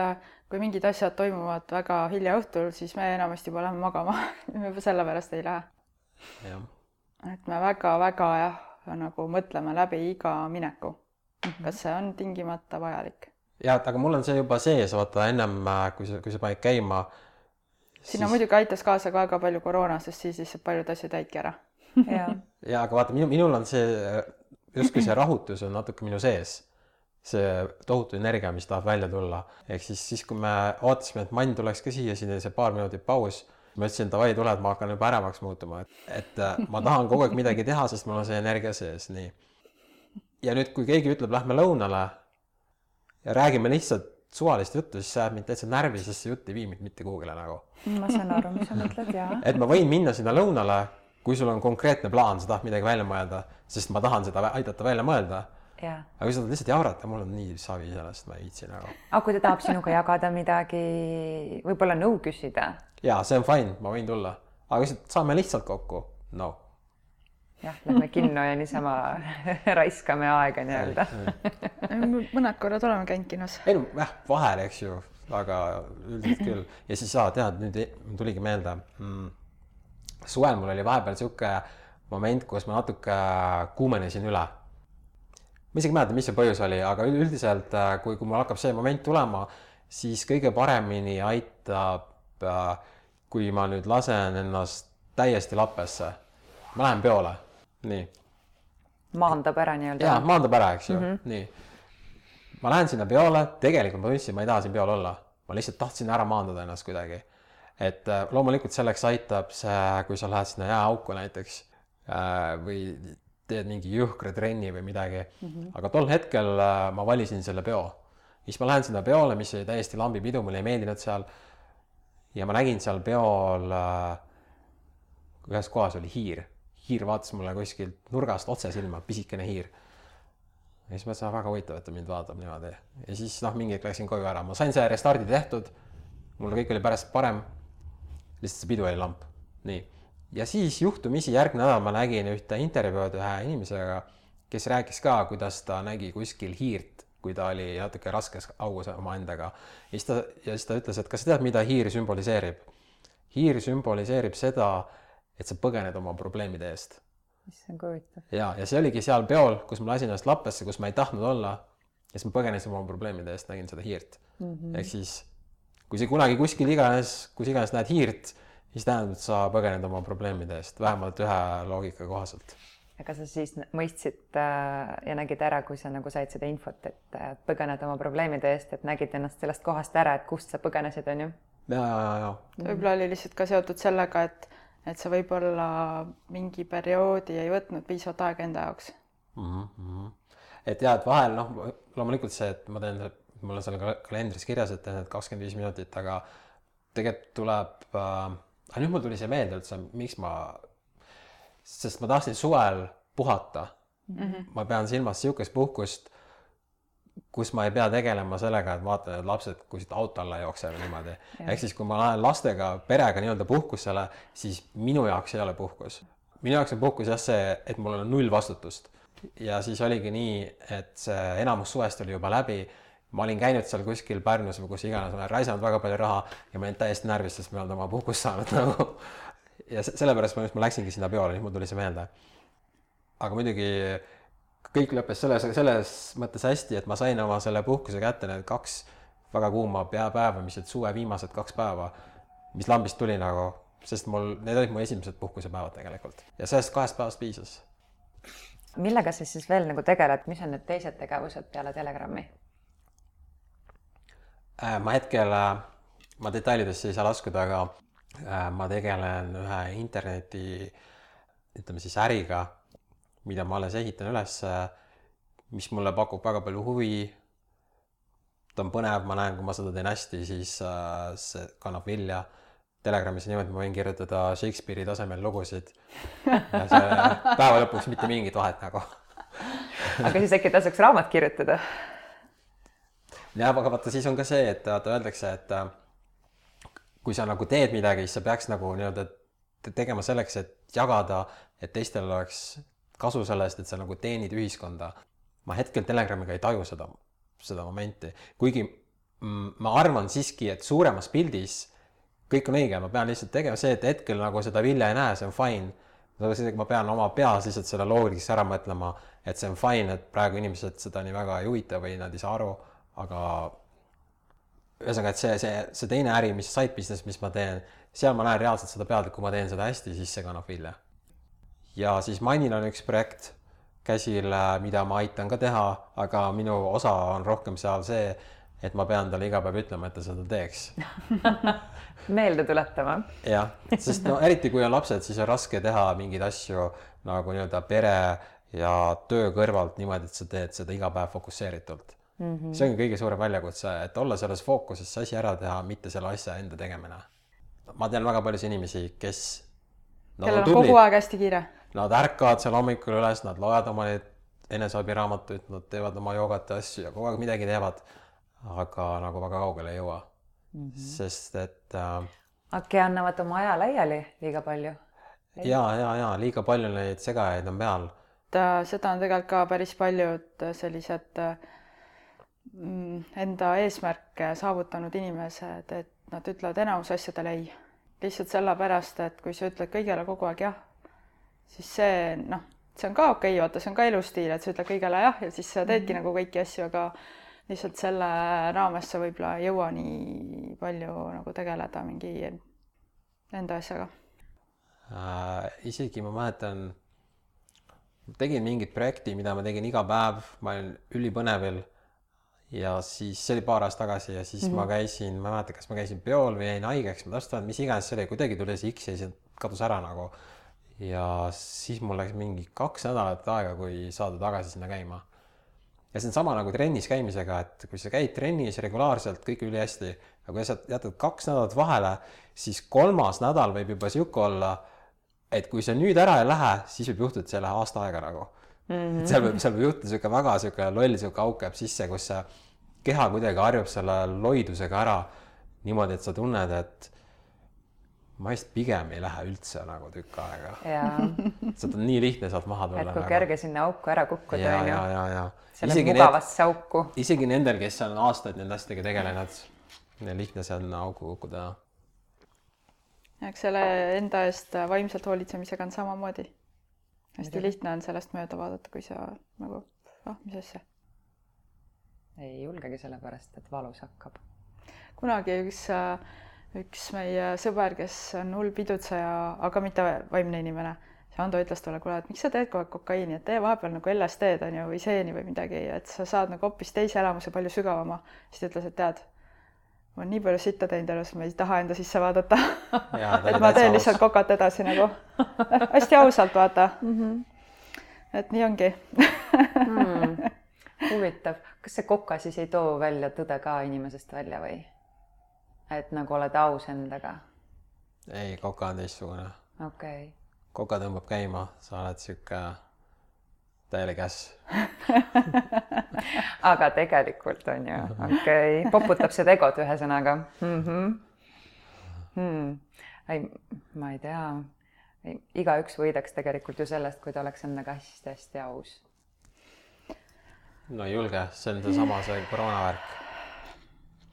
kui mingid asjad toimuvad väga hilja õhtul, siis me enamasti juba lähme magama. Me juba selle pärast ei lähe. Jah. Et me väga-väga nagu mõtleme läbi iga mineku. Kas see on tingimata vajalik? Ja, aga mul on see juba sees, vaata ennem, kui sa panid käima. Sinna muidugi aitas kaasa ka väga palju koroona, sest siis lihtsalt paljud asjad jäidki ära. Ja, aga vaata, minul on see, justkui see rahutus on natuke minu sees. See tohutu energia, mis tahab välja tulla. Ehk siis kui me ootasime, et Mann tuleks ka siia, siin oli see paar minutit paus, ma ütlesin, et davai, tule, et ma hakkan juba ärevaks muutuma. Et ma tahan kogu aeg midagi teha, sest mul on see energia sees. Nii. Ja nüüd, kui keegi ütleb, lähme lõunale ja räägime lihtsalt suvalist juttu, siis see jääb mind täitsa närvi, sest see jutt ei vii mind mitte kuhugile nagu. Ma saan aru, mis sa mõtled, jaa. Et ma võin minna sinna lõunale, kui sul on konkreetne plaan, sa tahad midagi välja mõelda, sest ma tahan seda aidata välja mõelda. Ja. Aga kui sa tahad lihtsalt jaurata, mul on nii savi sellest, ma ei viitsi nagu. Aga kui ta tahab sinuga jagada midagi, võib-olla nõu küsida? Jaa, see on fine, ma võin tulla. Aga saame lihtsalt kokku? No. Jah, lähme kinno ja niisama raiskame aega nii-öelda. Mõned korrad oleme käinud kinos. Ei no, vahel, eks ju, aga üldiselt küll. Ja siis tead, nüüd tuligi meelde. Suvel mul oli vahepeal siuke moment, kus ma natuke kuumenesin üle. Ma isegi mäletan, mis see põhjus oli, aga üldiselt, kui mul hakkab see moment tulema, siis kõige paremini aitab, kui ma nüüd lasen ennast täiesti lappesse. Ma lähen peole. Nii. Maandab ära nii-öelda. Jaa, maandab ära, eks ju. Nii. Ma lähen sinna peole, tegelikult ma tundsin, ma ei taha siin peol olla. Ma lihtsalt tahtsin ära maandada ennast kuidagi. Et loomulikult selleks aitab see, kui sa lähed sinna jääauku näiteks või teed mingi jõhkra trenni või midagi. Aga tol hetkel ma valisin selle peo. Siis ma lähen sinna peole, mis oli täiesti lambipidu, mulle ei meeldinud seal. Ja ma nägin seal peol, ühes kohas oli hiir. Hiir vaatas mulle kuskilt nurgast otse silma, pisikene hiir. Ja siis mõtlesin, väga huvitav, et ta mind vaatab niimoodi. Ja siis mingi läksin koju ära. Ma sain see restardi tehtud, mul kõik oli pärast parem, lihtsalt see pidu oli lamp. Nii. Ja siis juhtumisi järgmine nädal ma nägin ühte intervjuud ühe inimesega, kes rääkis ka, kuidas ta nägi kuskil hiirt, kui ta oli natuke raskes augus oma endaga. Ja siis ta ütles, et kas sa tead, mida hiir sümboliseerib? Hiir sümboliseerib seda, et sa põgened oma probleemide eest. Mis on huvitav. Ja see oligi seal peol, kus ma lasin ennast lappesse, kus ma ei tahtnud olla. Ja siis ma põgenesin oma probleemide eest, nägin seda hiirt. Ehk siis, kui sa kunagi kuskil iganes näed hiirt, siis tähendab, et sa põgened oma probleemide eest, vähemalt ühe loogika kohaselt. Aga sa siis mõistsid ja nägid ära, kui sa nagu said seda infot, et põgened oma probleemide eest, et nägid ennast sellest kohast ära, et kust sa põgenesid, on ju? Ja. Võib-olla oli lihtsalt ka seotud sellega, et sa võib-olla mingi perioodi ei võtnud piisavalt aega enda jaoks. Et jah, et vahel, loomulikult see, et ma teen, mul on seal kalendris kirjas, et teen 25 minutit, aga tegelikult tuleb, nüüd mul tuli see meelde üldse, sest ma tahtsin suvel puhata. Ma pean silmas siukest puhkust, kus ma ei pea tegelema sellega, et vaatan, et lapsed kuskilt auto alla jooksevad niimoodi. Ehk siis, kui ma lähen lastega perega nii-öelda puhkusele, siis minu jaoks ei ole puhkus. Minu jaoks on puhkus jah see, et mul on 0 vastutust. Ja siis oligi nii, et see enamus suvest oli juba läbi. Ma olin käinud seal kuskil Pärnus või kus iganes, ma olen raisanud väga palju raha ja ma olin täiesti närvis, sest me oleme oma puhkust saanud nagu. Ja sellepärast ma läksingi sinna peole, nüüd mul tuli see meelde. Aga muidugi kõik lõppes selles mõttes hästi, et ma sain oma selle puhkuse kätte need 2 väga kuuma päeva, mis olid suve viimased 2 päeva, mis lambist tuli nagu, sest need olid mu esimesed puhkusepäevad tegelikult. Ja sellest 2 päevast piisas. Millega sa siis veel nagu tegeled? Mis on need teised tegevused peale Telegrammi? Ma hetkel, ma detailidesse ei saa laskuda, aga ma tegelen ühe interneti, ütleme siis äriga, mida ma alles ehitan üles, mis mulle pakub väga palju huvi. Ta on põnev, ma näen, kui ma seda teen hästi, siis see kannab vilja. Telegramis on niimoodi, ma võin kirjutada Shakespeare'i tasemel lugusid. Ja see päeva lõpuks mitte mingit vahet nagu. Aga siis äkki tasuks raamat kirjutada? ja aga vaata, siis on ka see, et vaata öeldakse, et kui sa nagu teed midagi, siis sa peaks nagu nii-öelda tegema selleks, et jagada, et teistel oleks kasu sellest, et sa nagu teenid ühiskonda. Ma hetkel Telegramiga ei taju seda momenti, kuigi ma arvan siiski, et suuremas pildis kõik on õige, ma pean lihtsalt tegema see, et hetkel nagu seda vilja ei näe, see on fine. Ma pean oma peas lihtsalt selle loogiliks ära mõtlema, et see on fine, et praegu inimesed seda nii väga ei huvita või nad ei saa aru, aga ühesõnaga, et see teine äri, mis side business, mis ma teen, seal ma näen reaalselt seda pealt, et kui ma teen seda hästi, siis see kannab vilja. Ja siis Manil on üks projekt käsil, mida ma aitan ka teha, aga minu osa on rohkem seal see, et ma pean talle iga päev ütlema, et ta seda teeks. Meelde tuletama. Jah, sest no eriti kui on lapsed, siis on raske teha mingeid asju nagu nii-öelda pere ja töö kõrvalt niimoodi, et sa teed seda iga päev fokusseeritult. See on kõige suurem väljakutse, et olla selles fookuses, see asi ära teha, mitte selle asja enda tegemine. Ma tean väga paljusid inimesi, kes kellel on kogu aeg hästi kiire. Nad ärkavad seal hommikul üles, nad loevad oma eneseabiraamatuid, nad teevad oma joogat ja asju ja kogu aeg midagi teevad, aga nagu väga kaugele ei jõua. Sest et äkki annavad oma aja laiali liiga palju? Ja, liiga palju neid segajaid on peal. Seda on tegelikult ka päris paljud sellised enda eesmärke saavutanud inimesed, et nad ütlevad enamus asjadele ei. Lihtsalt sellepärast, et kui sa ütled kõigele kogu aeg jah, siis see on ka okei, vaata, see on ka elustiil, et sa ütled kõigele jah ja siis sa teedki nagu kõiki asju, aga lihtsalt selle raames sa võib-olla ei jõua nii palju nagu tegeleda mingi enda asjaga. Isegi ma mäletan, tegin mingit projekti, mida ma tegin iga päev, ma olin ülipõnevil ja siis see oli paar aastat tagasi ja siis ma käisin, ma mäletan, kas ma käisin peol või jäin haigeks, ma täpselt mis iganes see oli, kuidagi tuli see X ja siis kadus ära nagu. Ja siis mul läks mingi 2 nädalat aega, kui saada tagasi sinna käima. Ja see on sama nagu trennis käimisega, et kui sa käid trennis regulaarselt, kõik üli hästi, aga kui sa jätad 2 nädalat vahele, siis 3. nädal võib juba siuke olla, et kui sa nüüd ära ei lähe, siis võib juhtuda, et see ei lähe aasta aega nagu. Seal võib juhtuda siuke väga siuke loll siuke auk jääb sisse, kus see keha kuidagi harjub selle loidusega ära niimoodi, et sa tunned, et ma vist pigem ei lähe üldse nagu tükk aega. Seda on nii lihtne saalt maha tulla. Et kui kerge sinna auku ära kukkuda on ju. Ja. Selle mugavasse auku. Isegi nendel, kes on aastaid nende asjadega tegelenud, lihtne see on auku kukkuda. Eks selle enda eest vaimselt hoolitsemisega on samamoodi. Hästi lihtne on sellest mööda vaadata, kui sa nagu, mis asja? Ei julgegi sellepärast, et valus hakkab. Kunagi üks meie sõber, kes on hull pidutseja, aga mitte vaimne inimene, see Ando ütles talle, kuule, et miks sa teed kogu aeg kokaiini, et tee vahepeal nagu LSD-d on ju, või seeni või midagi, et sa saad nagu hoopis teise elamuse palju sügavama. Siis ta ütles, et tead, ma olen nii palju sitta teinud elus, ma ei taha enda sisse vaadata. Et ma teen lihtsalt kokat edasi nagu. Hästi ausalt vaata. Et nii ongi. Huvitav. Kas see koka siis ei too välja tõde ka inimesest välja või? Et nagu oled aus endaga? Ei, koka on teistsugune. Okei. Koka tõmbab käima, sa oled siuke täielik äss. Aga tegelikult on ju, okei. Poputab see tegot ühesõnaga. Ei, ma ei tea. Igaüks võidaks tegelikult ju sellest, kui ta oleks endaga hästi aus. No ei julge, see on seesama see koroonavärk.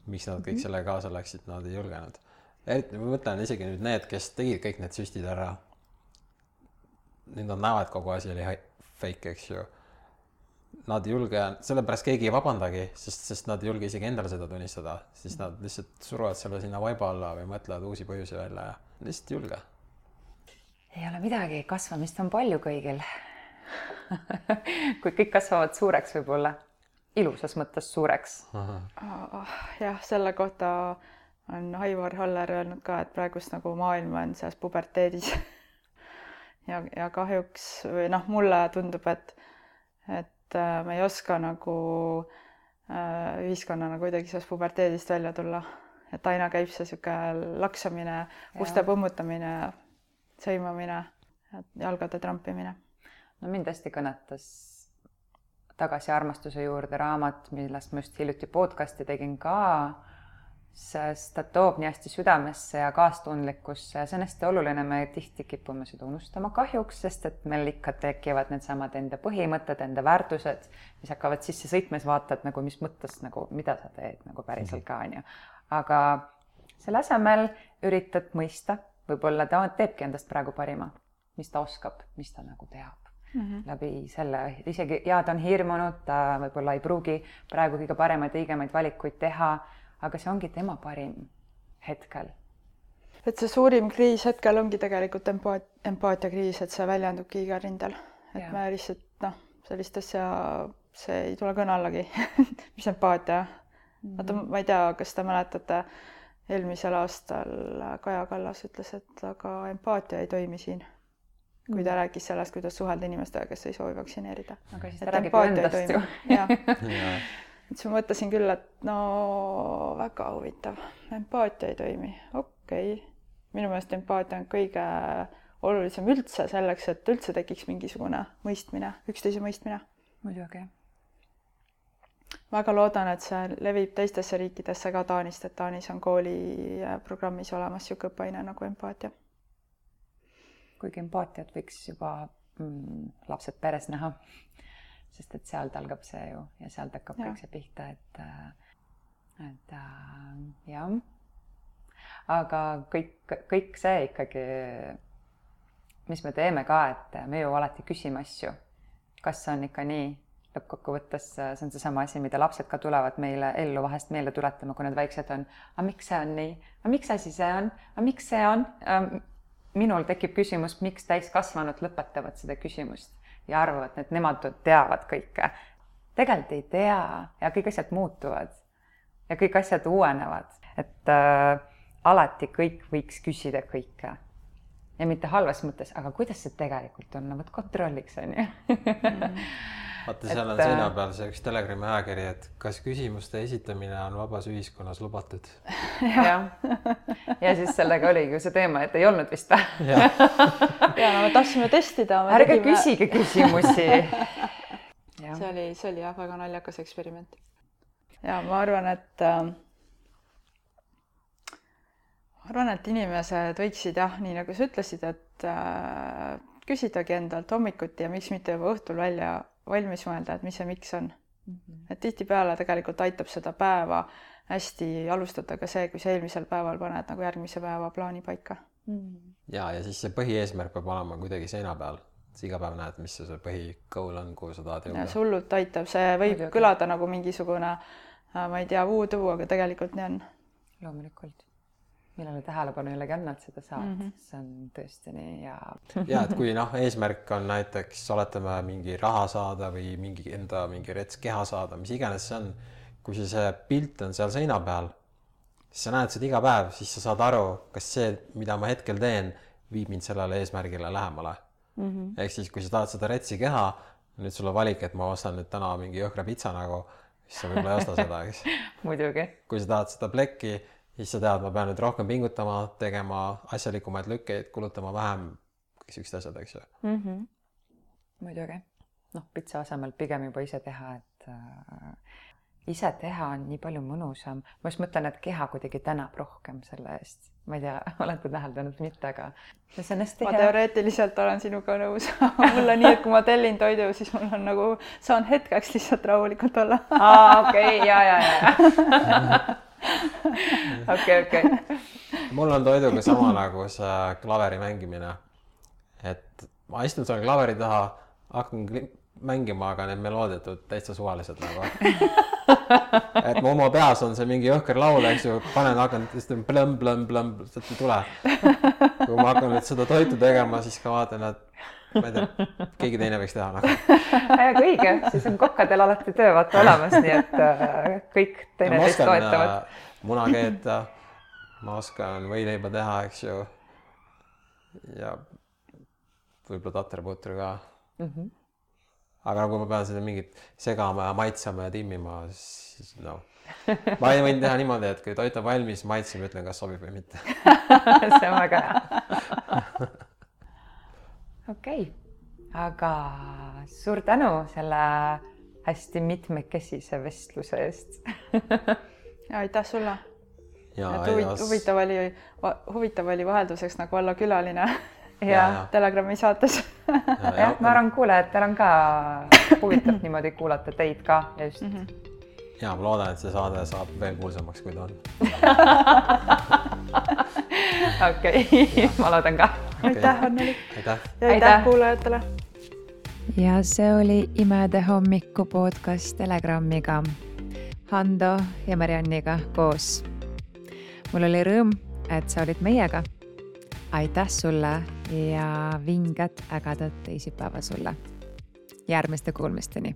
Miks nad kõik selle kaasa läksid, nad ei julgenud. Eriti ma mõtlen isegi nüüd need, kes tegid kõik need süstid ära. Nüüd nad näevad kogu asi oli fake, eks ju. Nad ei julge, sellepärast keegi ei vabandagi, sest nad ei julge isegi endale seda tunnistada. Siis nad lihtsalt suruvad selle sinna vaiba alla või mõtlevad uusi põhjusi välja ja lihtsalt ei julge. Ei ole midagi, kasvamist on palju kõigil. Kui kõik kasvavad suureks võib-olla, ilusas mõttes suureks. Jah, selle kohta on Aivar Haller öelnud ka, et praegust nagu maailm on selles puberteedis. Ja kahjuks, või mulle tundub, et me ei oska nagu ühiskonnana kuidagi sellest puberteedist välja tulla. Et aina käib see siuke laksamine, uste põmmutamine, sõimamine, jalgade trampimine. No mind hästi kõnetas Tagasi armastuse juurde raamat, millest ma just hiljuti podcasti tegin ka, sest ta toob nii hästi südamesse ja kaastundlikkusse ja see on hästi oluline, me tihti kipume seda unustama kahjuks, sest et meil ikka tekivad needsamad enda põhimõtted, enda väärtused, mis hakkavad sisse sõitma, siis vaatad nagu, mis mõttes nagu, mida sa teed nagu päriselt ka, on ju. Aga selle asemel üritad mõista, võib-olla ta teebki endast praegu parima, mis ta oskab, mis ta nagu teab läbi selle, isegi ja ta on hirmunud, ta võib-olla ei pruugi praegu kõige paremaid õigemaid valikuid teha, aga see ongi tema parim hetkel. Et see suurim kriis hetkel ongi tegelikult empaatiakriis, et see väljendubki iga rindel. Et me lihtsalt, sellist asja, see ei tule kõne allagi, mis empaatia. Ma ei tea, kas te mäletate, eelmisel aastal Kaja Kallas ütles, et aga empaatia ei toimi siin. Kui ta rääkis sellest, kuidas suhelda inimestega, kes ei soovi vaktsineerida. Aga siis ta räägib endast ju. Et ma mõtlesin küll, et väga huvitav. Empaatia ei toimi. Okei. Minu meelest empaatia on kõige olulisem üldse selleks, et üldse tekiks mingisugune mõistmine, üksteise mõistmine. Muidugi. Väga loodan, et see levib teistesse riikidesse ka Taanist, et Taanis on kooliprogrammis olemas siuke õppeaine nagu empaatia. Kuigi empaatiat võiks juba lapsed peres näha, sest et sealt algab see ju ja sealt hakkab kõik see pihta, et jah. Aga kõik see ikkagi, mis me teeme ka, et me ju alati küsime asju, kas see on ikka nii, lõppkokkuvõttes see on seesama asi, mida lapsed ka tulevad meile ellu vahest meelde tuletama, kui nad väiksed on, aga miks see on nii, aga miks asi see on, aga miks see on? Minul tekib küsimus, miks täiskasvanud lõpetavad seda küsimust ja arvavad, et nemad teavad kõike. Tegelikult ei tea ja kõik asjad muutuvad ja kõik asjad uuenevad, et alati kõik võiks küsida kõike ja mitte halvas mõttes, aga kuidas see tegelikult on, võt kontrolliks on ju. Vaata, seal on seina peal see üks Telegrami ajakiri, et kas küsimuste esitamine on vabas ühiskonnas lubatud? Ja siis sellega oligi ju see teema, et ei olnud vist. Ja me tahtsime testida. Ärge küsige küsimusi. See oli jah, väga naljakas eksperiment. Ja ma arvan, et inimesed võiksid nii nagu sa ütlesid, et küsidagi endalt hommikuti ja miks mitte juba õhtul valmis mõelda, et mis see miks on. Et tihtipeale tegelikult aitab seda päeva hästi alustada ka see, kui sa eelmisel päeval paned nagu järgmise päeva plaani paika. Ja siis see põhieesmärk peab olema kuidagi seina peal. Sa iga päev näed, mis see põhikool on, kuhu sa tahad jõuda. Ja see hullult aitab, see võib kõlada nagu mingisugune, ma ei tea, voodoo, aga tegelikult nii on. Loomulikult. Millele tähelepanu jällegi annad, seda saad. See on tõesti nii ja... Ja, et kui eesmärk on näiteks oletame mingi raha saada või mingi rets keha saada, mis iganes see on, kui see pilt on seal seina peal, siis sa näed seda iga päev, siis sa saad aru, kas see, mida ma hetkel teen, viib mind sellele eesmärgile lähemale. Ehk siis, kui sa tahad seda retsi keha, nüüd sul on valik, et ma ostan nüüd täna mingi jõhkra pitsa nagu, siis sa võib-olla ei osta seda, eks? Muidugi. Kui sa tahad seda plekki, siis sa tead, ma pean nüüd rohkem pingutama, tegema asjalikumaid lükkeid, kulutama vähem, kõik sükst asjad, eks ju. Muidugi. Pitsa asemel pigem juba ise teha, et ise teha on nii palju mõnusam. Ma just mõtlen, et keha kuidagi tänab rohkem selle eest. Ma ei tea, olete täheldanud mitte, aga see on hästi hea. Ma teoreetiliselt olen sinuga nõus. Mul on nii, et kui ma tellin toidu, siis mul on nagu, saan hetkeks lihtsalt rahulikult olla. Okei, ja. Okei. Mul on toiduga sama nagu see klaveri mängimine. Et ma istun seal klaveri taha, hakkan mängima, aga need melooditud täitsa suvalised nagu. Et mu oma peas on see mingi jõhker laul, eks ju, hakkan plõmm, sealt ei tule. Kui ma hakkan nüüd seda toitu tegema, siis ka vaatan, et ma ei tea, keegi teine võiks teha nagu. Aga õige, siis on kokkadel alati töö vaata olemas, nii et kõik teine teist toetavad. Muna keeta, ma oskan võileiba teha, eks ju. Ja võib-olla taterputru ka. Aga nagu ma pean seda mingit segama ja maitsama ja timmima, siis Ma võin teha niimoodi, et kui toit on valmis, maitsen, ütlen, kas sobib või mitte. See on väga hea. Okei, aga suur tänu selle hästi mitmekesise vestluse eest. Ja aitäh sulle. Ja huvitav oli vahelduseks nagu olla külaline Ja. Telegrami saates. Jah, ma arvan, kuulajatel on ka huvitav niimoodi kuulata teid ka ja just. Ja ma loodan, et see saade saab veel kuulsamaks, kui ta on. Okei, ma loodan ka. Aitäh, Anneli. Aitäh. Ja aitäh kuulajatele. Ja see oli Imede hommiku podcast Telegramiga, Hando ja Marianniga koos. Mul oli rõõm, et sa olid meiega. Aitäh sulle ja vinget ägedat teisipäeva sulle. Järgmiste kuulmisteni.